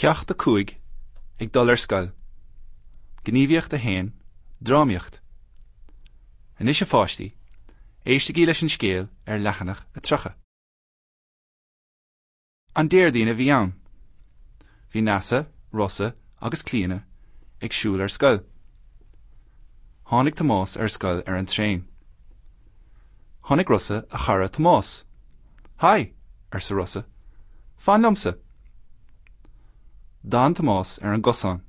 Ceacht 5, Ag dul ar scoil. Gníomhaíocht 1, Drámaíocht. Anois a pháistí, éistigí leis an scéal ar leathanach 30. An Déardaoin a bhí ann. Bhí Neasa, Rossa agus Clíona ag siúl ar scoil. Tháinig Tomás ar scoil ar an traein. Chonaic Rossa a chara Tomás. Haigh! arsa Rossa. Fan liomsa! D'fhan Tomás ar an gcosán.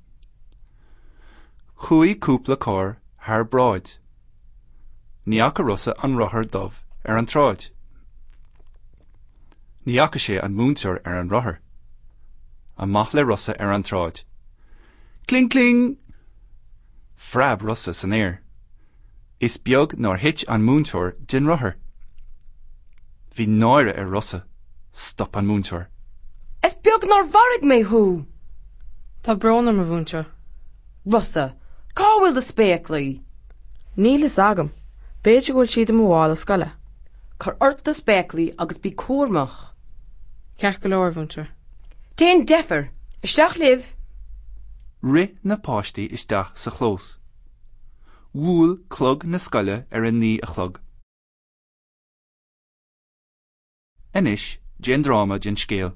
Chuaigh cúpla carr thar bráid. Ní fhaca Rossa an rothar dubh ar an tsráid. Ní fhaca sé an múinteoir ar an rothar. Amach le Rossa ar an tsráid. Cling cling! Phreab Rossa san aer. Is beag nár thit an múinteoir den rothar. Bhí náire ar Rossa. Stop an múinteoir. Is beag nár mharaigh mé thú! Tá brón orm, a mhúinteoir. Rossa, cá bhfuil do spéaclaí? Níl fhios agam. B'fhéidir go bhfuil siad i mo mhála scoile. Cuir ort do spéaclaí agus bí cúramach. Ceart go leor, a mhúinteoir. Déan deifir! Isteach libh! Rith na páistí isteach sa chlós. Bhuail clog na scoile ar a naoi a chlog. Anois, déan dráma den scéal.